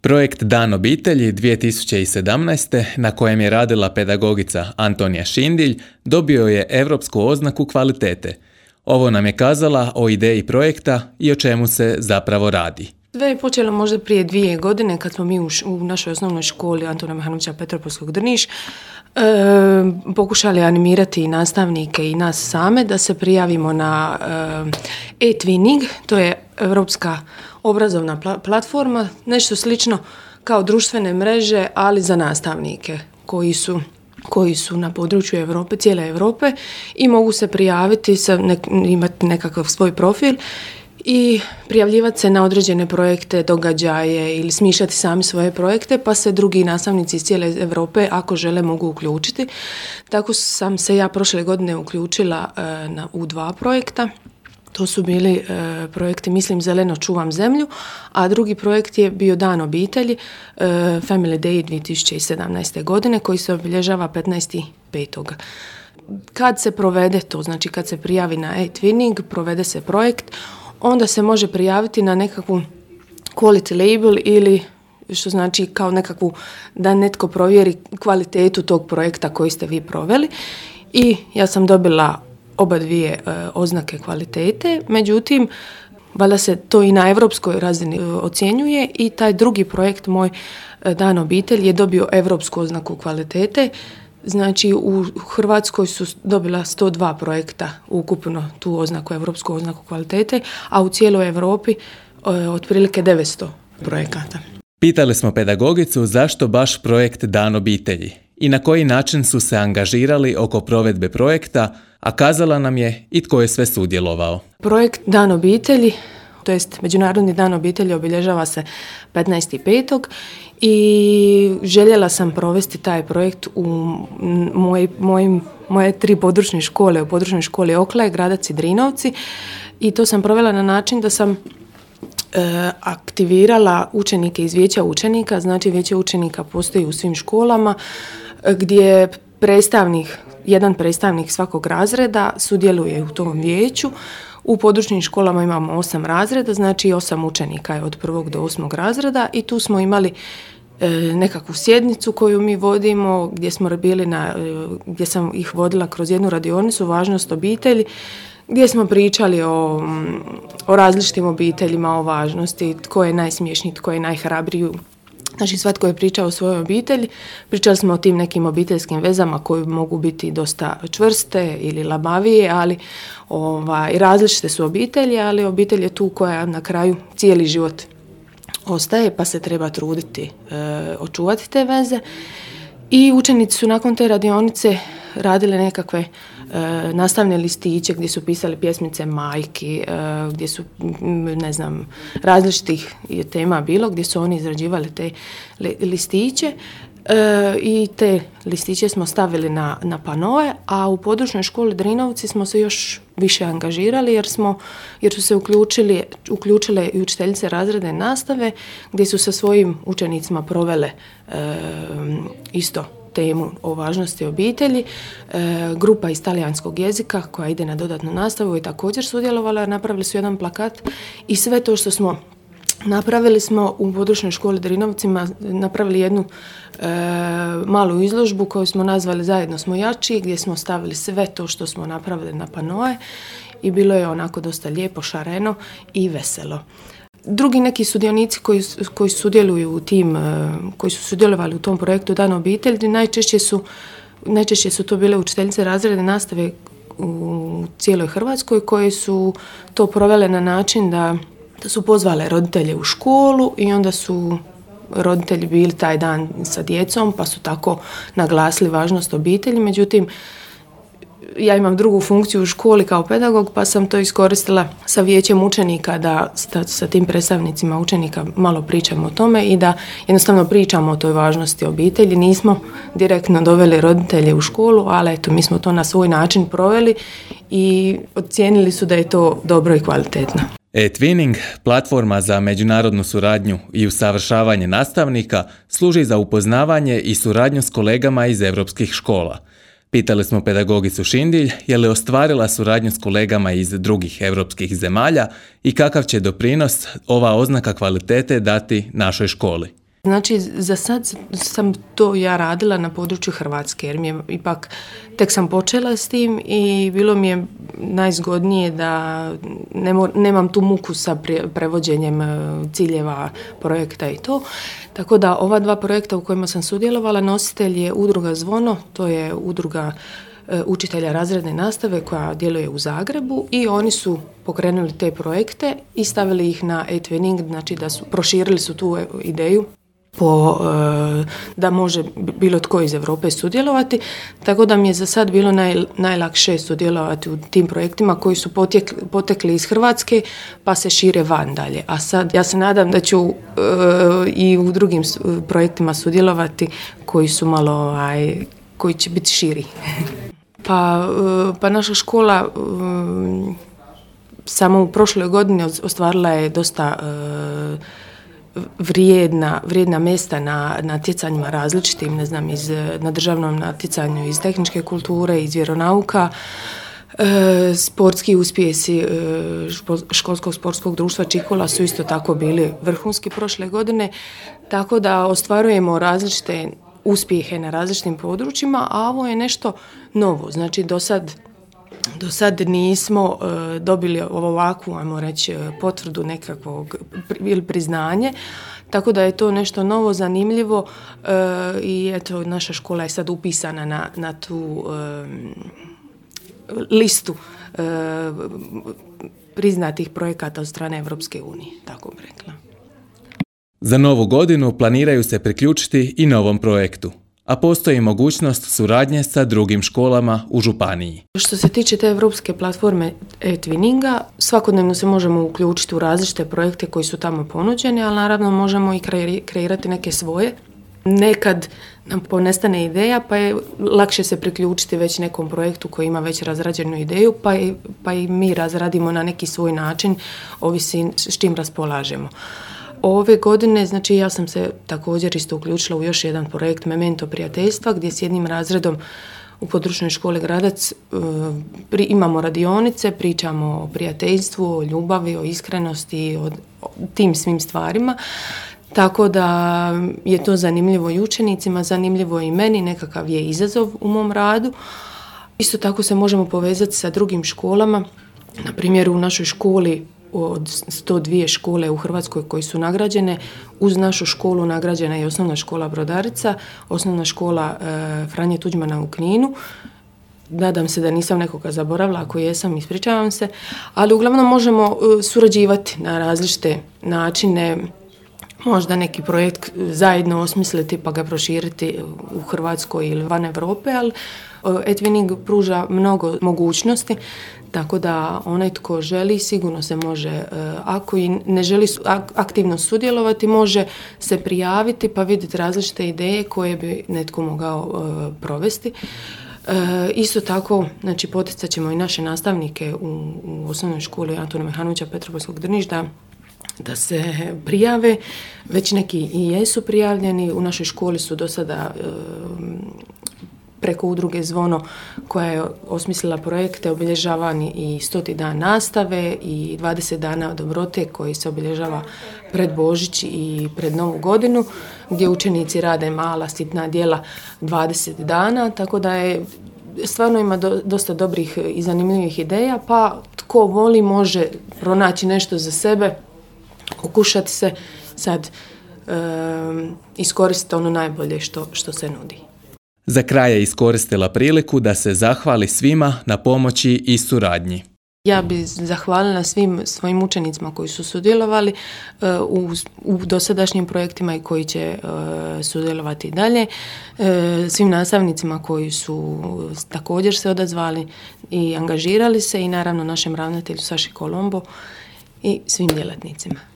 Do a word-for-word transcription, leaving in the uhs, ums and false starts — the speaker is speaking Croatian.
Projekt Dan obitelji dvije tisuće sedamnaeste. na kojem je radila pedagogica Antonija Šindilj dobio je europsku oznaku kvalitete. Ovo nam je kazala o ideji projekta i o čemu se zapravo radi. Sve je počelo možda prije dvije godine kad smo mi u, š- u našoj osnovnoj školi Antuna Mehanovića Petropolskog Drniš e, pokušali animirati i nastavnike i nas same da se prijavimo na e, e-twinning, to je europska obrazovna pla- platforma, nešto slično kao društvene mreže, ali za nastavnike koji su koji su na području Europe, cijele Europe i mogu se prijaviti, sa nek, imati nekakav svoj profil i prijavljivati se na određene projekte, događaje ili smišljati sami svoje projekte, pa se drugi nastavnici iz cijele Europe, ako žele, mogu uključiti. Tako sam se ja prošle godine uključila e, na, u dva projekta. To su bili e, projekti Mislim zeleno, čuvam zemlju, a drugi projekt je bio Dan obitelji, e, Family Day dvije tisuće sedamnaeste. godine, koji se obilježava petnaesti petog Kad se provede to, znači kad se prijavi na e-twinning, provede se projekt, onda se može prijaviti na nekakvu quality label ili što znači kao nekakvu da netko provjeri kvalitetu tog projekta koji ste vi proveli. I ja sam dobila oba dvije e, oznake kvalitete, međutim, valjda se to i na europskoj razini e, ocjenjuje i taj drugi projekt moj e, Dan obitelj je dobio europsku oznaku kvalitete. Znači u Hrvatskoj su dobila sto dva projekta ukupno tu oznaku, europsku oznaku kvalitete, a u cijeloj Europi e, otprilike devetsto projekata. Pitali smo pedagogicu zašto baš projekt Dan obitelji i na koji način su se angažirali oko provedbe projekta, a kazala nam je i tko je sve sudjelovao. Projekt Dan obitelji, to jest Međunarodni dan obitelji, obilježava se petnaesti petog i željela sam provesti taj projekt u moj, mojim, moje tri područne škole, u područnoj školi Oklaje, Gradac i Drinovci, i to sam provela na način da sam e, aktivirala učenike iz vijeća učenika. Znači vijeće učenika postoji u svim školama gdje predstavnik, jedan predstavnik svakog razreda sudjeluje u tom vijeću. U područnim školama imamo osam razreda, znači osam učenika je od prvog do osmog razreda i tu smo imali e, nekakvu sjednicu koju mi vodimo, gdje smo bili na, e, gdje sam ih vodila kroz jednu radionicu, važnost obitelji, gdje smo pričali o, o različitim obiteljima, o važnosti, tko je najsmješniji, tko je najhrabriji. Znači svatko je pričao o svojoj obitelji, pričali smo o tim nekim obiteljskim vezama koje mogu biti dosta čvrste ili labavije, ali ovaj, različite su obitelji, ali obitelj je tu koja na kraju cijeli život ostaje, pa se treba truditi e, očuvati te veze. I učenici su nakon te radionice radili nekakve e, nastavne listiće gdje su pisali pjesmice majki, e, gdje su, ne znam, različitih tema bilo, gdje su oni izrađivali te li, listiće e, i te listiće smo stavili na, na panoe, a u područnoj školi Drinovci smo se još više angažirali jer smo, jer su se uključili, uključile i učiteljice razredne nastave gdje su sa svojim učenicima provele e, isto temu o važnosti obitelji. E, grupa iz talijanskog jezika koja ide na dodatnu nastavu je također sudjelovala, napravili su jedan plakat i sve to što smo napravili smo u područnoj školi Drinovcima, napravili jednu e, malu izložbu koju smo nazvali Zajedno smo jači, gdje smo stavili sve to što smo napravili na panoe i bilo je onako dosta lijepo, šareno i veselo. Drugi neki sudionici koji, koji sudjeluju u tim, koji su sudjelovali u tom projektu Dan obitelji, najčešće su, najčešće su to bile učiteljice razredne nastave u cijeloj Hrvatskoj koje su to provele na način da, da su pozvale roditelje u školu i onda su roditelji bili taj dan sa djecom pa su tako naglasili važnost obitelji. Međutim, ja imam drugu funkciju u školi kao pedagog, pa sam to iskoristila sa vijećem učenika da sa tim predstavnicima učenika malo pričamo o tome i da jednostavno pričamo o toj važnosti obitelji. Nismo direktno doveli roditelje u školu, ali eto, mi smo to na svoj način proveli i ocijenili su da je to dobro i kvalitetno. E-twinning, platforma za međunarodnu suradnju i usavršavanje nastavnika, služi za upoznavanje i suradnju s kolegama iz europskih škola. Pitali smo pedagogicu Šindilj je li ostvarila suradnju s kolegama iz drugih europskih zemalja i kakav će doprinos ova oznaka kvalitete dati našoj školi. Znači, za sad sam to ja radila na području Hrvatske, jer mi je ipak, tek sam počela s tim i bilo mi je najzgodnije da ne mor, nemam tu muku sa prevođenjem ciljeva projekta i to. Tako da ova dva projekta u kojima sam sudjelovala, nositelj je udruga Zvono, to je udruga učitelja razredne nastave koja djeluje u Zagrebu i oni su pokrenuli te projekte i stavili ih na e-twinning, znači da su proširili su tu ideju po, da može bilo tko iz Europe sudjelovati, tako da mi je za sad bilo naj, najlakše sudjelovati u tim projektima koji su potjekli, potekli iz Hrvatske pa se šire van dalje. A sad ja se nadam da ću uh, i u drugim projektima sudjelovati koji su malo, aj, koji će biti širi. pa, uh, pa naša škola uh, samo u prošloj godini ostvarila je dosta uh, vrijedna, vrijedna mjesta na natjecanjima različitim, ne znam, iz, na državnom natjecanju iz tehničke kulture, iz vjeronauka, e, sportski uspjesi e, školskog sportskog društva Čikula su isto tako bili vrhunski prošle godine, tako da ostvarujemo različite uspjehe na različitim područjima, a ovo je nešto novo, znači do sad Do sad nismo uh, dobili ovakvu, ajmo reći, potvrdu nekakvog ili priznanje, tako da je to nešto novo, zanimljivo uh, i eto, naša škola je sad upisana na, na tu uh, listu uh, priznatih projekata od strane Europske unije, tako bih rekla. Za novu godinu planiraju se priključiti i novom projektu, a postoji mogućnost suradnje sa drugim školama u županiji. Što se tiče te europske platforme e-twinninga, svakodnevno se možemo uključiti u različite projekte koji su tamo ponuđeni, ali naravno možemo i kreirati neke svoje. Nekad nam ponestane ideja, pa je lakše se priključiti već nekom projektu koji ima već razrađenu ideju, pa i, pa i mi razradimo na neki svoj način, ovisi s čim raspolažemo. Ove godine, znači ja sam se također isto uključila u još jedan projekt Memento prijateljstva, gdje s jednim razredom u područnoj školi Gradac uh, pri, imamo radionice, pričamo o prijateljstvu, o ljubavi, o iskrenosti, o, o tim svim stvarima. Tako da je to zanimljivo i učenicima, zanimljivo i meni, nekakav je izazov u mom radu. Isto tako se možemo povezati sa drugim školama, na primjer u našoj školi od sto dvije škole u Hrvatskoj koji su nagrađene, uz našu školu nagrađena je osnovna škola Brodarica, osnovna škola e, Franje Tuđmana u Kninu. Nadam se da nisam nekoga zaboravila, ako jesam, ispričavam se, ali uglavnom možemo e, surađivati na različite načine, možda neki projekt zajedno osmisliti pa ga proširiti u Hrvatskoj ili van Europe, ali e-twinning pruža mnogo mogućnosti, tako da onaj tko želi sigurno se može, ako i ne želi aktivno sudjelovati, može se prijaviti pa vidjeti različite ideje koje bi netko mogao provesti. Isto tako, znači, poticat ćemo i naše nastavnike u, u osnovnoj školi Antuna Mehanovića Petropolskog Drniš da da se prijave, već neki i jesu prijavljeni. U našoj školi su do sada e, preko udruge Zvono koja je osmislila projekte obilježavani i stoti dan nastave i dvadeset dana dobrote koji se obilježava pred Božić i pred Novu godinu, gdje učenici rade mala sitna djela dvadeset dana, tako da je stvarno ima do, dosta dobrih i zanimljivih ideja, pa tko voli može pronaći nešto za sebe, pokušati se sad um, iskoristiti ono najbolje što, što se nudi. Za kraj je iskoristila priliku da se zahvali svima na pomoći i suradnji. Ja bih zahvalila svim svojim učenicima koji su sudjelovali uh, u, u dosadašnjim projektima i koji će uh, sudjelovati dalje, uh, svim nastavnicima koji su također se odazvali i angažirali se i naravno našem ravnatelju Saši Kolombo i svim djelatnicima.